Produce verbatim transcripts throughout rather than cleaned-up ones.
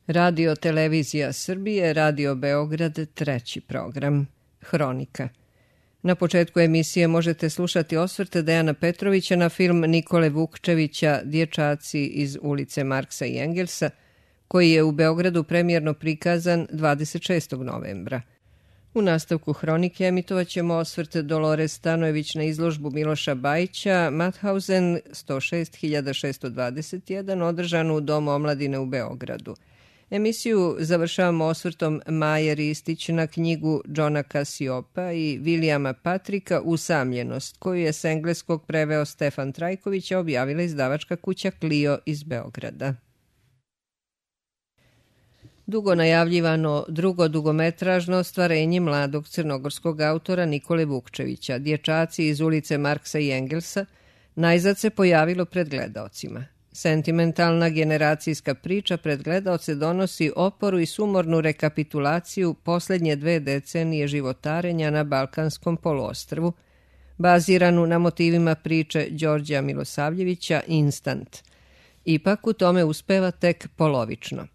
Radio Televizija Srbije, Radio Beograd, treći program. Hronika. Na početku emisije možete slušati osvrte Dejana Petrovića na film Nikole Vukčevića Dječaci iz ulice Marksa i Engelsa, koji je u Beogradu premijerno prikazan dvadeset šestog novembra. U nastavku hronike emitovat ćemo osvrt Dolores Stanojević na izložbu Miloša Bajića Mauthausen sto šest hiljada šesto dvadeset jedan održanu u Domu omladine u Beogradu. Emisiju završavamo osvrtom Maje Ristić na knjigu Johna Cassioppa i Vilijama Patrika Usamljenost, koju je s engleskog preveo Stefan Trajković, a objavila izdavačka kuća Clio iz Beograda. Dugo najavljivano drugo dugometražno ostvarenje mladog crnogorskog autora Nikole Vukčevića, Dječaci iz ulice Marksa i Engelsa, najzad se pojavilo pred gledaocima. Sentimentalna generacijska priča pred gledaoce donosi oporu i sumornu rekapitulaciju posljednje dve decenije životarenja na Balkanskom poluostrvu, baziranu na motivima priče Đorđa Milosavljevića Instant. Ipak u tome uspeva tek polovično.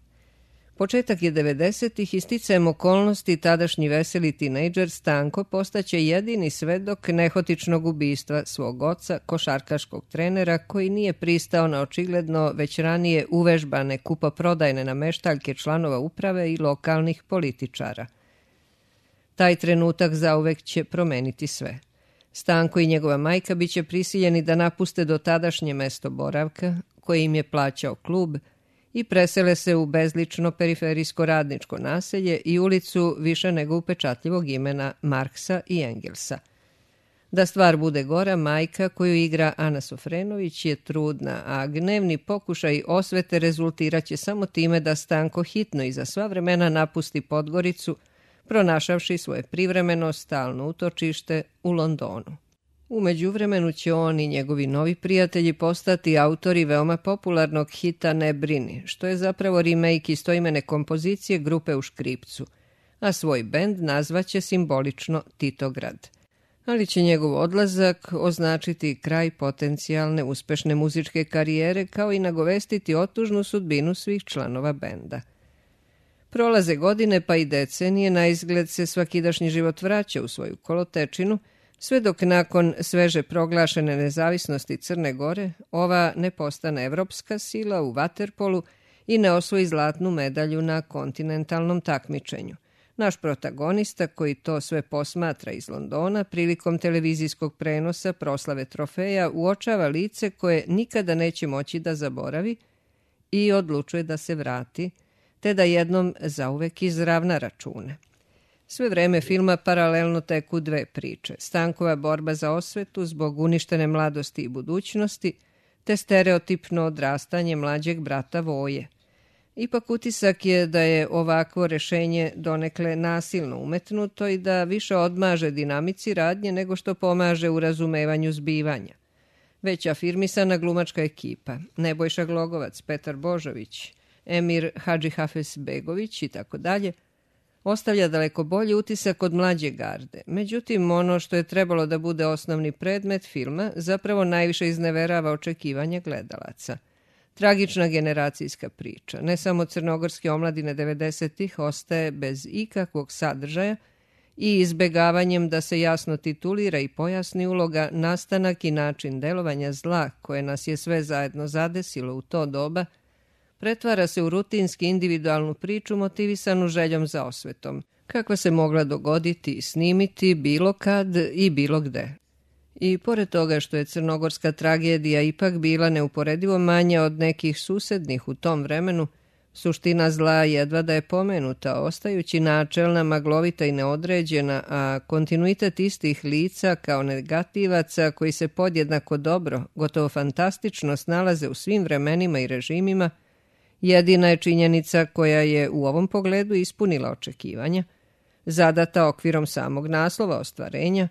Početak je devedesetih i sticajem okolnosti tadašnji veseli tinejdžer Stanko postaće jedini svedok nehotičnog ubistva svog oca, košarkaškog trenera, koji nije pristao na očigledno već ranije uvežbane kupoprodajne nameštaljke članova uprave i lokalnih političara. Taj trenutak zauvek će promeniti sve. Stanko i njegova majka biće prisiljeni da napuste dotadašnje mesto boravka, koje im je plaćao klub, i presele se u bezlično periferijsko radničko naselje i ulicu više nego upečatljivog imena Marksa i Engelsa. Da stvar bude gora, majka koju igra Ana Sofrenović je trudna, a gnevni pokušaj osvete rezultiraće samo time da Stanko hitno i za sva vremena napusti Podgoricu, pronašavši svoje privremeno stalno utočište u Londonu. U međuvremenu će on i njegovi novi prijatelji postati autori veoma popularnog hita Ne brini, što je zapravo remake istoimene kompozicije grupe U škripcu, a svoj bend nazvaće simbolično Titograd. Ali će njegov odlazak označiti kraj potencijalne uspešne muzičke karijere, kao i nagovestiti otužnu sudbinu svih članova benda. Prolaze godine pa i decenije, na izgled se svakidašnji život vraća u svoju kolotečinu, sve dok nakon sveže proglašene nezavisnosti Crne Gore ova ne postane evropska sila u vaterpolu i ne osvoji zlatnu medalju na kontinentalnom takmičenju. Naš protagonista, koji to sve posmatra iz Londona, prilikom televizijskog prenosa proslave trofeja uočava lice koje nikada neće moći da zaboravi i odlučuje da se vrati, te da jednom zauvek izravna račune. Sve vreme filma paralelno teku dve priče. Stankova borba za osvetu zbog uništene mladosti i budućnosti, te stereotipno odrastanje mlađeg brata Voje. Ipak utisak je da je ovakvo rešenje donekle nasilno umetnuto i da više odmaže dinamici radnje nego što pomaže u razumevanju zbivanja. Već afirmisana glumačka ekipa, Nebojša Glogovac, Petar Božović, Emir Hadžihafezbegović i tako dalje, ostavlja daleko bolji utisak od mlađe garde. Međutim, ono što je trebalo da bude osnovni predmet filma zapravo najviše izneverava očekivanja gledalaca. Tragična generacijska priča, ne samo crnogorske omladine devedesetih, ostaje bez ikakvog sadržaja i izbegavanjem da se jasno titulira i pojasni uloga, nastanak i način delovanja zla koje nas je sve zajedno zadesilo u to doba, pretvara se u rutinski individualnu priču motivisanu željom za osvetom, kakva se mogla dogoditi i snimiti bilo kad i bilo gde. I pored toga što je crnogorska tragedija ipak bila neuporedivo manja od nekih susednih u tom vremenu, suština zla jedva da je pomenuta, ostajući načelna, maglovita i neodređena, a kontinuitet istih lica kao negativaca koji se podjednako dobro, gotovo fantastično snalaze u svim vremenima i režimima, jedina je činjenica koja je u ovom pogledu ispunila očekivanja, zadata okvirom samog naslova ostvarenja,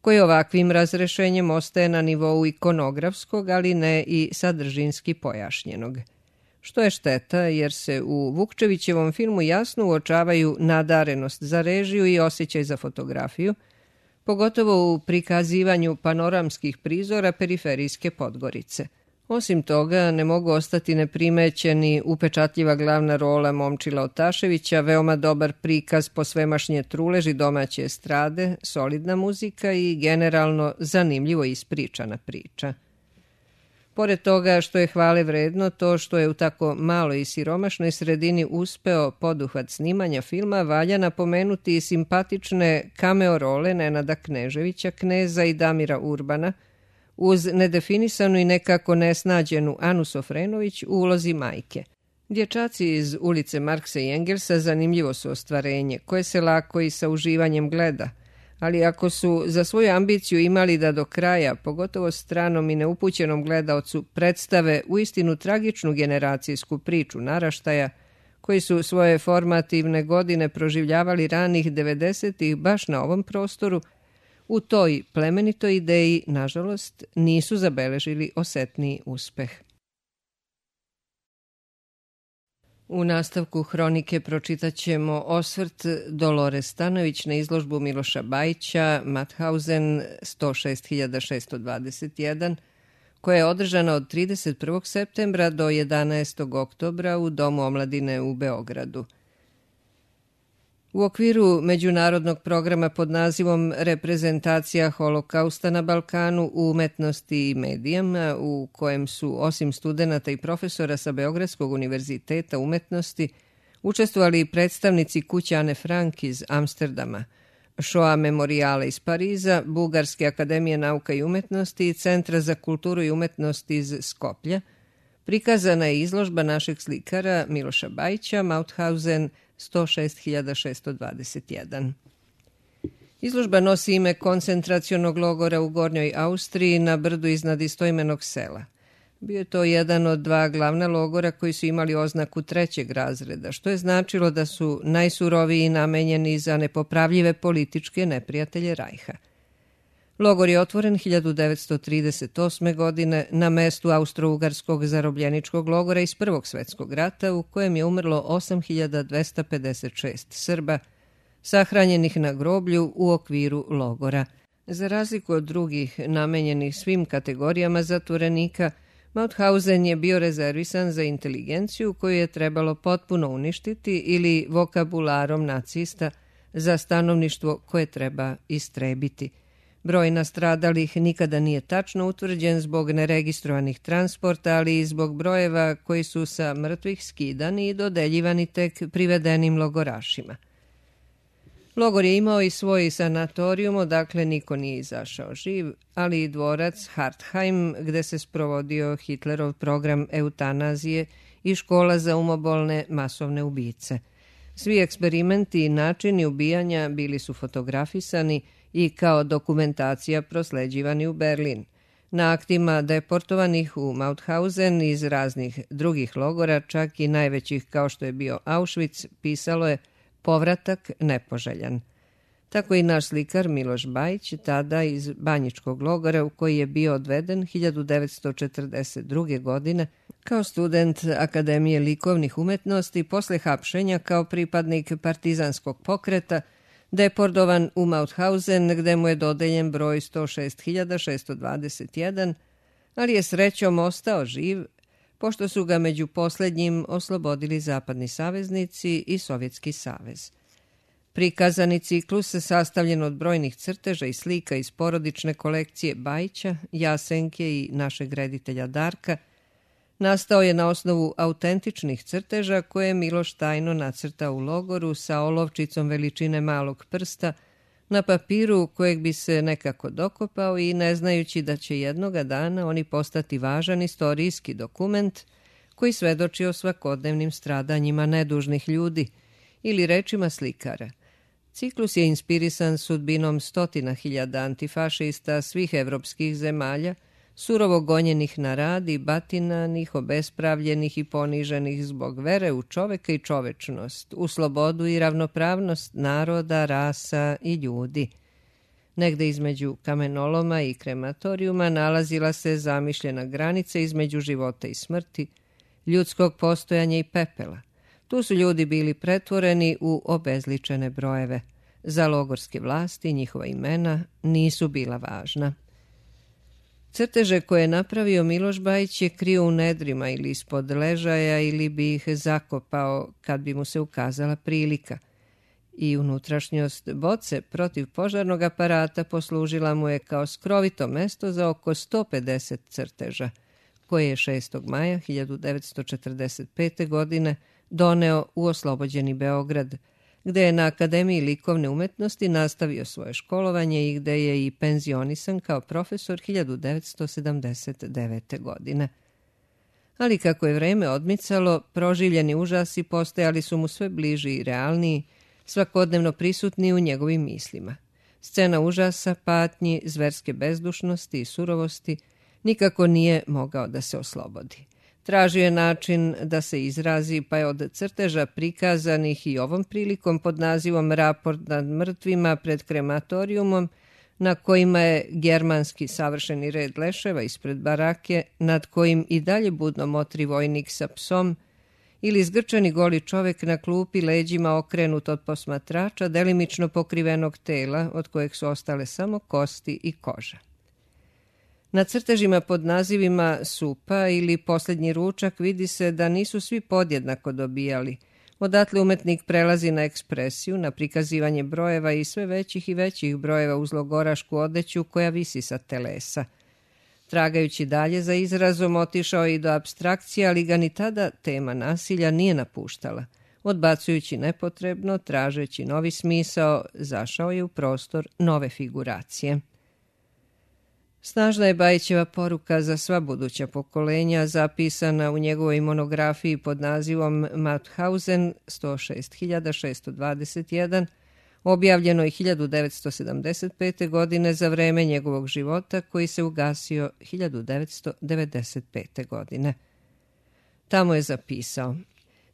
koji ovakvim razrešenjem ostaje na nivou ikonografskog, ali ne i sadržinski pojašnjenog. Što je šteta, jer se u Vukčevićevom filmu jasno uočavaju nadarenost za režiju i osjećaj za fotografiju, pogotovo u prikazivanju panoramskih prizora periferijske Podgorice. Osim toga, ne mogu ostati neprimećeni upečatljiva glavna rola Momčila Otaševića, veoma dobar prikaz posvemašnje truleži domaće estrade, solidna muzika i generalno zanimljivo ispričana priča. Pored toga što je hvale vredno to što je u tako maloj i siromašnoj sredini uspeo poduhvat snimanja filma, valja napomenuti i simpatične cameo role Nenada Kneževića, Kneza i Damira Urbana, uz nedefinisanu i nekako nesnađenu Anu Sofrenović u ulozi majke. Dječaci iz ulice Marksa i Engelsa zanimljivo su ostvarenje, koje se lako i sa uživanjem gleda, ali ako su za svoju ambiciju imali da do kraja, pogotovo stranom i neupućenom gledaocu, predstave uistinu tragičnu generacijsku priču naraštaja, koji su svoje formativne godine proživljavali ranih devedesetih baš na ovom prostoru, u toj plemenitoj ideji, nažalost, nisu zabeležili osetniji uspeh. U nastavku hronike pročitat ćemo osvrt Dolore Stanojević na izložbu Miloša Bajića Mauthausen sto šest hiljada šesto dvadeset jedan, koja je održana od trideset prvog septembra do jedanaestog oktobra u Domu omladine u Beogradu. U okviru međunarodnog programa pod nazivom Reprezentacija holokausta na Balkanu u umetnosti i medijama, u kojem su osim studenata i profesora sa Beogradskog univerziteta umetnosti učestvovali predstavnici kuće Ane Frank iz Amsterdama, Shoah Memorijala iz Pariza, Bugarske akademije nauka i umetnosti i Centra za kulturu i umetnost iz Skoplja, prikazana je izložba našeg slikara Miloša Bajića Mauthausen sto šest hiljada šesto dvadeset jedan. Izložba nosi ime koncentracionog logora u Gornjoj Austriji na brdu iznad istoimenog sela. Bio je to jedan od dva glavna logora koji su imali oznaku trećeg razreda, što je značilo da su najsuroviji namenjeni za nepopravljive političke neprijatelje Rajha. Logor je otvoren hiljadu devetsto trideset osme. godine na mestu austro-ugarskog zarobljeničkog logora iz Prvog svetskog rata, u kojem je umrlo osam hiljada dvesta pedeset šest Srba, sahranjenih na groblju u okviru logora. Za razliku od drugih namenjenih svim kategorijama zatvorenika, Mauthausen je bio rezervisan za inteligenciju koju je trebalo potpuno uništiti ili vokabularom nacista za stanovništvo koje treba istrebiti. Broj nastradalih nikada nije tačno utvrđen zbog neregistrovanih transporta, ali i zbog brojeva koji su sa mrtvih skidani i dodeljivani tek privedenim logorašima. Logor je imao i svoj sanatorijum, odakle niko nije izašao živ, ali i dvorac Hartheim, gde se sprovodio Hitlerov program eutanazije i škola za umobolne masovne ubice. Svi eksperimenti i načini ubijanja bili su fotografisani i kao dokumentacija prosleđivani u Berlin. Na aktima deportovanih u Mauthausen iz raznih drugih logora, čak i najvećih kao što je bio Auschwitz, pisalo je povratak nepoželjan. Tako i naš slikar Miloš Bajić, tada iz Banjičkog logora u koji je bio odveden hiljadu devetsto četrdeset druge. godine kao student Akademije likovnih umetnosti, posle hapšenja kao pripadnik partizanskog pokreta, deportovan u Mauthausen, gde mu je dodeljen broj sto šest hiljada šesto dvadeset jedan, ali je srećom ostao živ, pošto su ga među poslednjim oslobodili zapadni saveznici i Sovjetski savez. Prikazani ciklus, sastavljen od brojnih crteža i slika iz porodične kolekcije Bajića, Jasenke i našeg reditelja Darka, nastao je na osnovu autentičnih crteža koje je Miloš tajno nacrtao u logoru sa olovčicom veličine malog prsta na papiru kojeg bi se nekako dokopao i ne znajući da će jednoga dana oni postati važan istorijski dokument koji svedoči o svakodnevnim stradanjima nedužnih ljudi, ili rečima slikara. Ciklus je inspirisan sudbinom stotina hiljada antifašista svih evropskih zemalja, surovo gonjenih na rad i batinanih, obespravljenih i poniženih zbog vere u čoveka i čovečnost, u slobodu i ravnopravnost naroda, rasa i ljudi. Negde između kamenoloma i krematorijuma nalazila se zamišljena granica između života i smrti, ljudskog postojanja i pepela. Tu su ljudi bili pretvoreni u obezličene brojeve. Za logorske vlasti njihova imena nisu bila važna. Crteže koje je napravio Miloš Bajić je krio u nedrima ili ispod ležaja ili bi ih zakopao kad bi mu se ukazala prilika. I unutrašnjost boce protiv požarnog aparata poslužila mu je kao skrovito mesto za oko sto pedeset crteža, koje je šestog maja hiljadu devetsto četrdeset pete. godine doneo u oslobođeni Beograd, gde je na Akademiji likovne umetnosti nastavio svoje školovanje i gde je i penzionisan kao profesor hiljadu devetsto sedamdeset devete. godine. Ali kako je vreme odmicalo, proživljeni užasi postajali su mu sve bliži i realniji, svakodnevno prisutni u njegovim mislima. Scena užasa, patnji, zverske bezdušnosti i surovosti nikako nije mogao da se oslobodi. Tražio je način da se izrazi, pa je od crteža prikazanih i ovom prilikom pod nazivom Raport nad mrtvima pred krematorijumom, na kojima je germanski savršeni red leševa ispred barake, nad kojim i dalje budno motri vojnik sa psom, ili zgrčani goli čovek na klupi leđima okrenut od posmatrača, delimično pokrivenog tela, od kojeg su ostale samo kosti i koža. Na crtežima pod nazivima Supa ili Posljednji ručak vidi se da nisu svi podjednako dobijali. Odatle umetnik prelazi na ekspresiju, na prikazivanje brojeva i sve većih i većih brojeva uz logorašku odeću koja visi sa telesa. Tragajući dalje za izrazom, otišao i do apstrakcije, ali ga ni tada tema nasilja nije napuštala. Odbacujući nepotrebno, tražeći novi smisao, zašao je u prostor nove figuracije. Snažna je Bajićeva poruka za sva buduća pokolenja, zapisana u njegovoj monografiji pod nazivom Mauthausen sto šest hiljada šesto dvadeset jedan, objavljenoj hiljadu devetsto sedamdeset pete. godine za vreme njegovog života, koji se ugasio hiljadu devetsto devedeset pete. godine. Tamo je zapisao: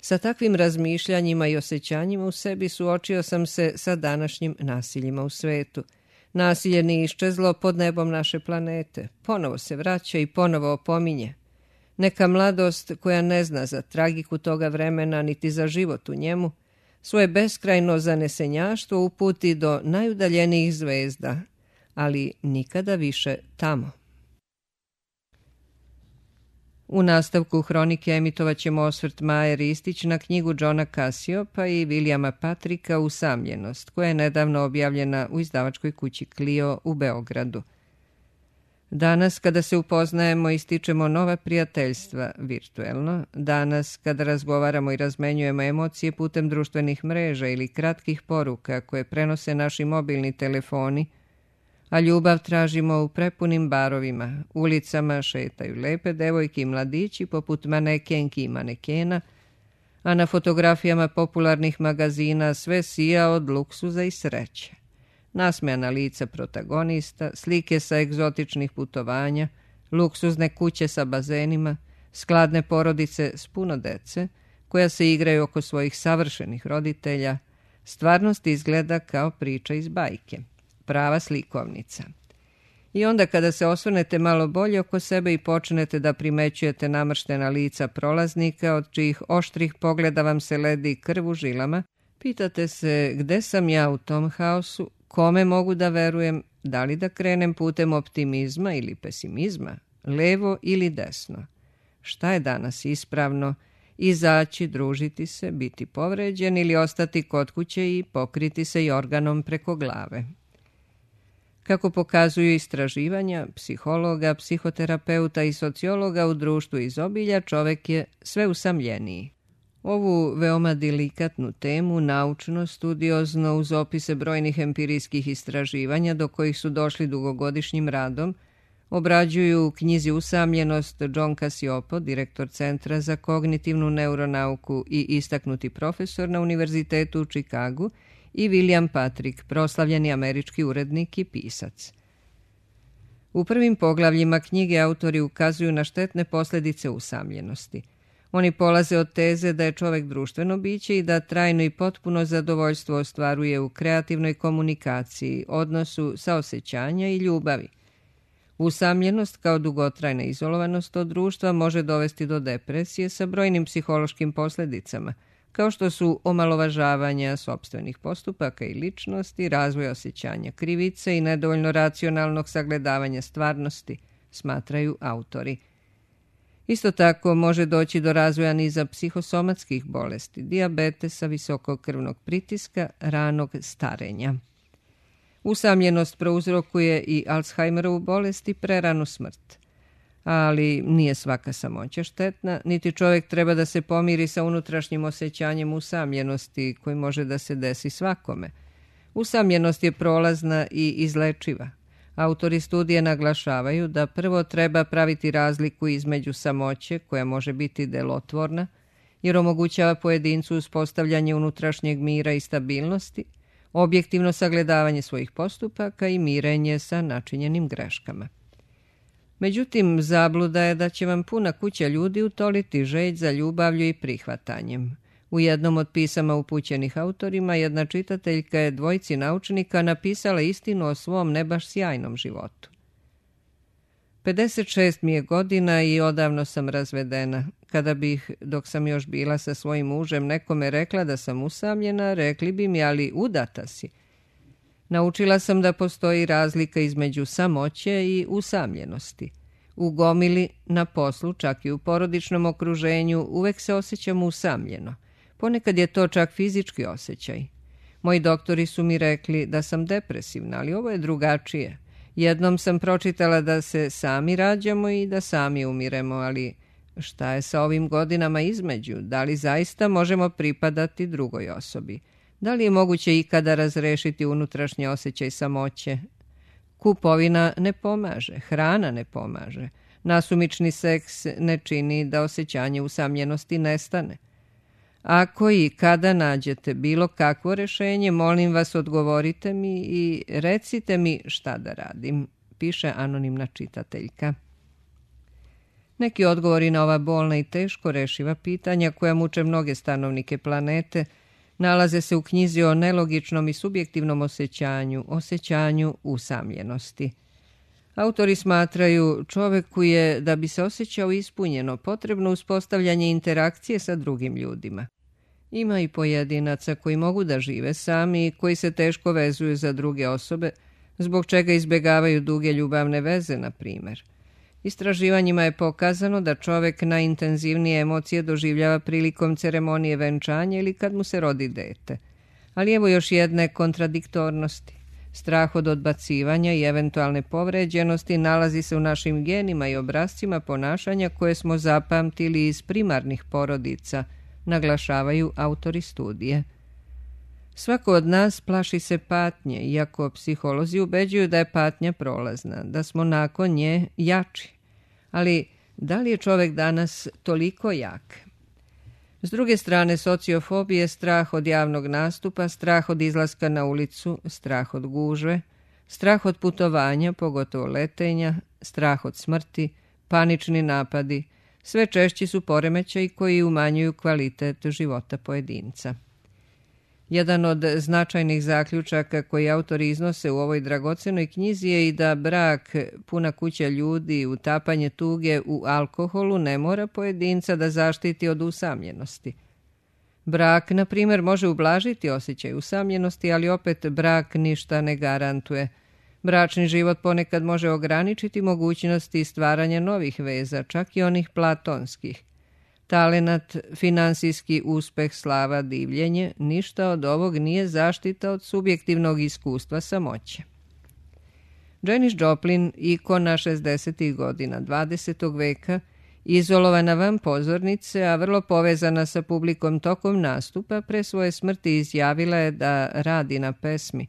sa takvim razmišljanjima i osjećanjima u sebi suočio sam se sa današnjim nasiljima u svetu. Nasilje nije iščezlo pod nebom naše planete. Ponovo se vraća i ponovo opominje. Neka mladost koja ne zna za tragiku toga vremena niti za život u njemu, svoje beskrajno zanesenjaštvo uputi do najudaljenijih zvezda, ali nikada više tamo. U nastavku hronike emitovat ćemo osvrt Maje Ristić na knjigu Johna Cassiopa i Vilijama Patrika Usamljenost, koja je nedavno objavljena u izdavačkoj kući Clio u Beogradu. Danas, kada se upoznajemo i stičemo nova prijateljstva virtuelno, danas, kada razgovaramo i razmenjujemo emocije putem društvenih mreža ili kratkih poruka koje prenose naši mobilni telefoni, a ljubav tražimo u prepunim barovima, ulicama šetaju lepe devojke i mladići poput manekenki i manekena, a na fotografijama popularnih magazina sve sija od luksuza i sreće. Nasmejana lica protagonista, slike sa egzotičnih putovanja, luksuzne kuće sa bazenima, skladne porodice s puno dece, koja se igraju oko svojih savršenih roditelja, stvarnost izgleda kao priča iz bajke. Prava slikovnica. I onda kada se osvrnete malo bolje oko sebe i počnete da primećujete namrštena lica prolaznika, od čijih oštrih pogleda vam se ledi krv u žilama, pitate se gde sam ja u tom haosu, kome mogu da verujem, da li da krenem putem optimizma ili pesimizma, levo ili desno. Šta je danas ispravno? Izaći, družiti se, biti povređen ili ostati kod kuće i pokriti se jorganom preko glave. Kako pokazuju istraživanja psihologa, psihoterapeuta i sociologa, u društvu izobilja čovek je sve usamljeniji. Ovu veoma delikatnu temu, naučno, studiozno, uz opise brojnih empirijskih istraživanja do kojih su došli dugogodišnjim radom, obrađuju u knjizi Usamljenost John Cassiopo, direktor Centra za kognitivnu neuronauku i istaknuti profesor na Univerzitetu u Čikagu, i William Patrick, proslavljeni američki urednik i pisac. U prvim poglavljima knjige autori ukazuju na štetne posljedice usamljenosti. Oni polaze od teze da je čovek društveno biće i da trajno i potpuno zadovoljstvo ostvaruje u kreativnoj komunikaciji, odnosu saosećanja i ljubavi. Usamljenost kao dugotrajna izolovanost od društva može dovesti do depresije sa brojnim psihološkim posljedicama, kao što su omalovažavanja sopstvenih postupaka i ličnosti, razvoj osjećanja krivice i nedovoljno racionalnog sagledavanja stvarnosti, smatraju autori. Isto tako može doći do razvoja niza psihosomatskih bolesti, dijabetesa, visokog krvnog pritiska, ranog starenja. Usamljenost prouzrokuje i Alzheimerovu bolest i preranu smrt. Ali nije svaka samoća štetna, niti čovjek treba da se pomiri sa unutrašnjim osjećanjem usamljenosti koji može da se desi svakome. Usamljenost je prolazna i izlečiva. Autori studije naglašavaju da prvo treba praviti razliku između samoće, koja može biti delotvorna, jer omogućava pojedincu uspostavljanje unutrašnjeg mira i stabilnosti, objektivno sagledavanje svojih postupaka i mirenje sa načinjenim greškama. Međutim, zabluda je da će vam puna kuća ljudi utoliti želj za ljubavlju i prihvatanjem. U jednom od pisama upućenih autorima jedna čitateljka je dvojici naučnika napisala istinu o svom ne baš sjajnom životu. pedeset šest mi je godina i odavno sam razvedena. Kada bih, dok sam još bila sa svojim mužem, nekome rekla da sam usamljena, rekli bi mi, ali udata si. Naučila sam da postoji razlika između samoće i usamljenosti. U gomili, na poslu, čak i u porodičnom okruženju, uvek se osjećam usamljeno. Ponekad je to čak fizički osjećaj. Moji doktori su mi rekli da sam depresivna, ali ovo je drugačije. Jednom sam pročitala da se sami rađamo i da sami umiremo, ali šta je sa ovim godinama između? Da li zaista možemo pripadati drugoj osobi? Da li je moguće ikada razrešiti unutrašnji osjećaj samoće? Kupovina ne pomaže, hrana ne pomaže. Nasumični seks ne čini da osjećanje usamljenosti nestane. Ako i kada nađete bilo kakvo rešenje, molim vas odgovorite mi i recite mi šta da radim, piše anonimna čitateljka. Neki odgovori na ova bolna i teško rešiva pitanja koja muče mnoge stanovnike planete nalaze se u knjizi o nelogičnom i subjektivnom osjećanju, osjećanju usamljenosti. Autori smatraju čoveku je, da bi se osjećao ispunjeno, potrebno uspostavljanje interakcije sa drugim ljudima. Ima i pojedinaca koji mogu da žive sami i koji se teško vezuju za druge osobe, zbog čega izbjegavaju duge ljubavne veze, na primjer. Istraživanjima je pokazano da čovek najintenzivnije emocije doživljava prilikom ceremonije venčanja ili kad mu se rodi dete. Ali evo još jedne kontradiktornosti. Strah od odbacivanja i eventualne povređenosti nalazi se u našim genima i obrascima ponašanja koje smo zapamtili iz primarnih porodica, naglašavaju autori studije. Svako od nas plaši se patnje, iako psiholozi ubeđuju da je patnja prolazna, da smo nakon nje jači. Ali da li je čovek danas toliko jak? S druge strane, sociofobije, strah od javnog nastupa, strah od izlaska na ulicu, strah od gužve, strah od putovanja, pogotovo letenja, strah od smrti, panični napadi, sve češći su poremećaji koji umanjuju kvalitet života pojedinca. Jedan od značajnih zaključaka koji autori iznose u ovoj dragocenoj knjizi je i da brak, puna kuća ljudi, utapanje tuge u alkoholu ne mora pojedinca da zaštiti od usamljenosti. Brak, na primjer, može ublažiti osjećaj usamljenosti, ali opet brak ništa ne garantuje. Bračni život ponekad može ograničiti mogućnosti stvaranja novih veza, čak i onih platonskih. Talenat, finansijski uspeh, slava, divljenje, ništa od ovog nije zaštita od subjektivnog iskustva samoće. Janis Joplin, ikona šezdesetih godina dvadesetog veka, izolovana van pozornice, a vrlo povezana sa publikom tokom nastupa, pre svoje smrti izjavila je da radi na pesmi.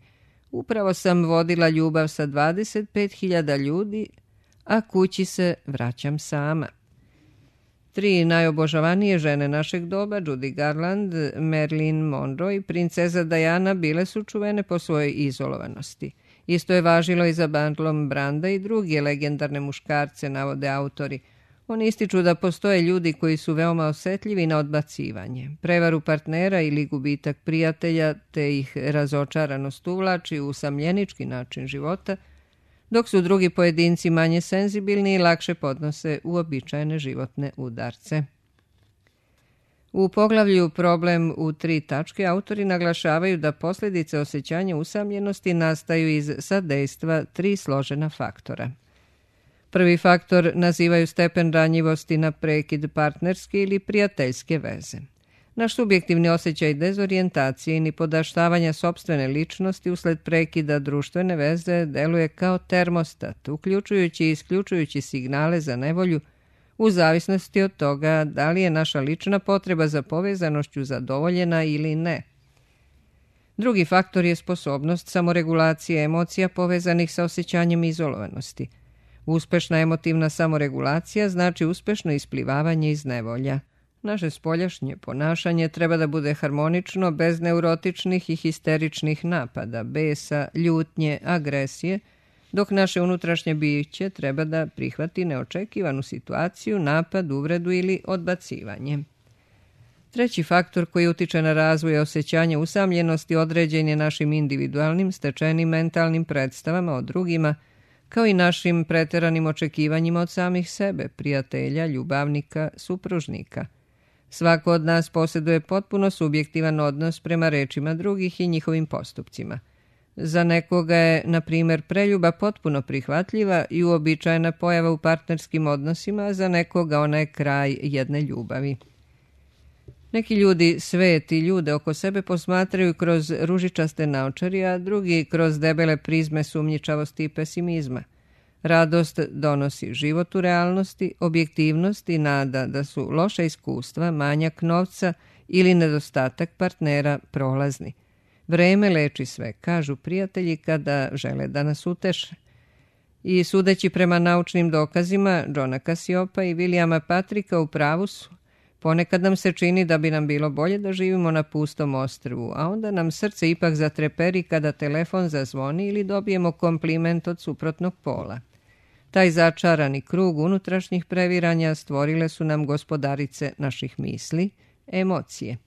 Upravo sam vodila ljubav sa dvadeset pet hiljada ljudi, a kući se vraćam sama. Tri najobožavanije žene našeg doba, Judy Garland, Marilyn Monroe i princeza Diana, bile su čuvene po svojoj izolovanosti. Isto je važilo i za Marlon Branda i druge legendarne muškarce, navode autori. Oni ističu da postoje ljudi koji su veoma osetljivi na odbacivanje, prevaru partnera ili gubitak prijatelja, te ih razočaranost uvlači u usamljenički način života, dok su drugi pojedinci manje senzibilni i lakše podnose uobičajene životne udarce. U poglavlju Problem u tri tačke autori naglašavaju da posljedice osjećanja usamljenosti nastaju iz sadejstva tri složena faktora. Prvi faktor nazivaju stepen ranjivosti na prekid partnerske ili prijateljske veze. Naš subjektivni osjećaj dezorijentacije i nipodaštavanja sopstvene ličnosti usled prekida društvene veze deluje kao termostat, uključujući i isključujući signale za nevolju u zavisnosti od toga da li je naša lična potreba za povezanošću zadovoljena ili ne. Drugi faktor je sposobnost samoregulacije emocija povezanih sa osjećanjem izolovanosti. Uspešna emotivna samoregulacija znači uspešno isplivavanje iz nevolja. Naše spoljašnje ponašanje treba da bude harmonično, bez neurotičnih i histeričnih napada, besa, ljutnje, agresije, dok naše unutrašnje biće treba da prihvati neočekivanu situaciju, napad, uvredu ili odbacivanje. Treći faktor koji utiče na razvoj osjećanja usamljenosti određen je našim individualnim, stečenim mentalnim predstavama o drugima, kao i našim preteranim očekivanjima od samih sebe, prijatelja, ljubavnika, supružnika. Svako od nas posjeduje potpuno subjektivan odnos prema rečima drugih i njihovim postupcima. Za nekoga je, na primjer, preljuba potpuno prihvatljiva i uobičajena pojava u partnerskim odnosima, a za nekoga ona je kraj jedne ljubavi. Neki ljudi svet i ljude oko sebe posmatraju kroz ružičaste naočari, a drugi kroz debele prizme sumnjičavosti i pesimizma. Radost donosi život u realnosti, objektivnost i nada da su loša iskustva, manjak novca ili nedostatak partnera prolazni. Vreme leči sve, kažu prijatelji kada žele da nas uteše. I sudeći prema naučnim dokazima Johna Cassiopa i Williama Patricka u pravu su. Ponekad nam se čini da bi nam bilo bolje da živimo na pustom ostrvu, a onda nam srce ipak zatreperi kada telefon zazvoni ili dobijemo kompliment od suprotnog pola. Taj začarani krug unutrašnjih previranja stvorile su nam gospodarice naših misli, emocije.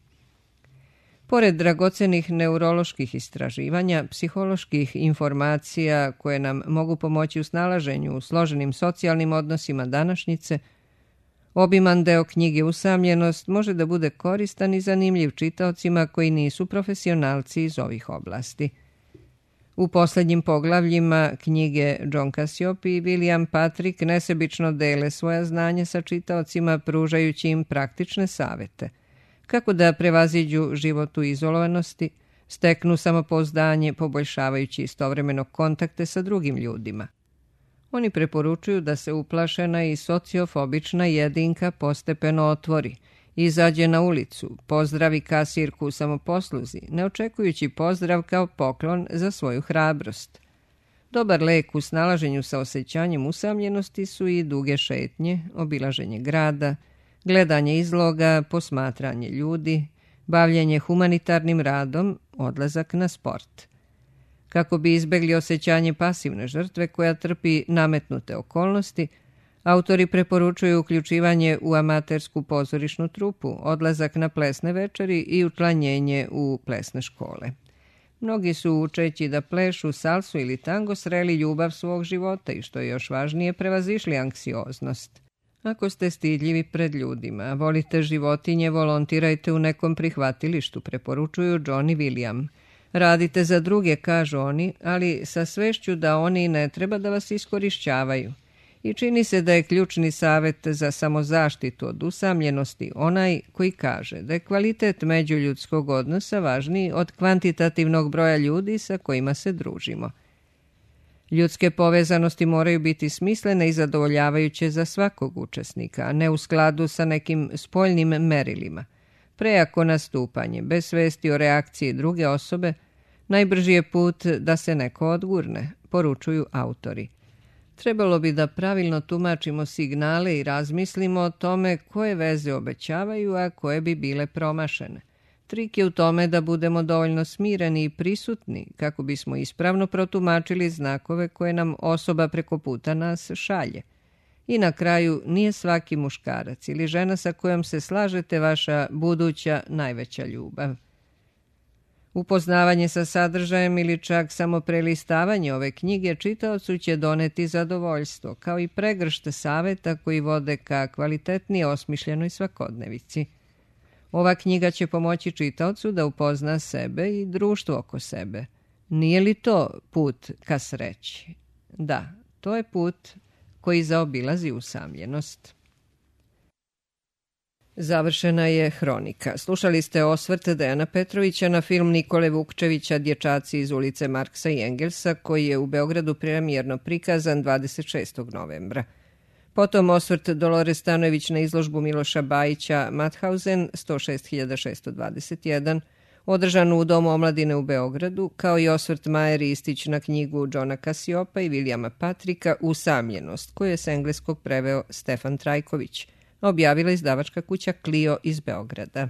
Pored dragocenih neuroloških istraživanja, psiholoških informacija koje nam mogu pomoći u snalaženju u složenim socijalnim odnosima današnjice, obiman deo knjige Usamljenost može da bude koristan i zanimljiv čitaocima koji nisu profesionalci iz ovih oblasti. U posljednjim poglavljima knjige John Cassiop i William Patrick nesebično dele svoja znanja sa čitaocima, pružajući im praktične savete. Kako da prevaziđu život u izolovanosti, steknu samopouzdanje, poboljšavajući istovremeno kontakte sa drugim ljudima. Oni preporučuju da se uplašena i sociofobična jedinka postepeno otvori, izađe na ulicu, pozdravi kasirku u samoposluzi, ne očekujući pozdrav kao poklon za svoju hrabrost. Dobar lek u snalaženju sa osjećanjem usamljenosti su i duge šetnje, obilaženje grada, gledanje izloga, posmatranje ljudi, bavljenje humanitarnim radom, odlazak na sport. Kako bi izbegli osjećanje pasivne žrtve koja trpi nametnute okolnosti, autori preporučuju uključivanje u amatersku pozorišnu trupu, odlazak na plesne večeri i učlanjenje u plesne škole. Mnogi su, učeći da plešu salsu ili tango, sreli ljubav svog života i, što je još važnije, prevazišli anksioznost. Ako ste stidljivi pred ljudima, a volite životinje, volontirajte u nekom prihvatilištu, preporučuju John i William. Radite za druge, kažu oni, ali sa svešću da oni ne treba da vas iskorišćavaju. I čini se da je ključni savjet za samozaštitu od usamljenosti onaj koji kaže da je kvalitet međuljudskog odnosa važniji od kvantitativnog broja ljudi sa kojima se družimo. Ljudske povezanosti moraju biti smislene i zadovoljavajuće za svakog učesnika, a ne u skladu sa nekim spoljnim merilima. Prejako nastupanje, bez svesti o reakciji druge osobe, najbrži je put da se neko odgurne, poručuju autori. Trebalo bi da pravilno tumačimo signale i razmislimo o tome koje veze obećavaju, a koje bi bile promašene. Trik je u tome da budemo dovoljno smireni i prisutni kako bismo ispravno protumačili znakove koje nam osoba preko puta nas šalje. I na kraju, nije svaki muškarac ili žena sa kojom se slažete vaša buduća najveća ljubav. Upoznavanje sa sadržajem ili čak samo prelistavanje ove knjige čitaocu će doneti zadovoljstvo, kao i pregršte saveta koji vode ka kvalitetnije osmišljenoj svakodnevici. Ova knjiga će pomoći čitaocu da upozna sebe i društvo oko sebe. Nije li to put ka sreći? Da, to je put koji zaobilazi usamljenost. Završena je hronika. Slušali ste osvrt Dejana Petrovića na film Nikole Vukčevića Dječaci iz ulice Marksa i Engelsa, koji je u Beogradu premijerno prikazan dvadeset šestog novembra. Potom osvrt Dolore Stanojević na izložbu Miloša Bajića Mauthausen sto šest hiljada šesto dvadeset jedan, održanu u Domu omladine u Beogradu, kao i osvrt Maje Ristić na knjigu Johna Casiopa i Vilijama Patrika Usamljenost, koju je s engleskog preveo Stefan Trajković, objavila izdavačka kuća Clio iz Beograda.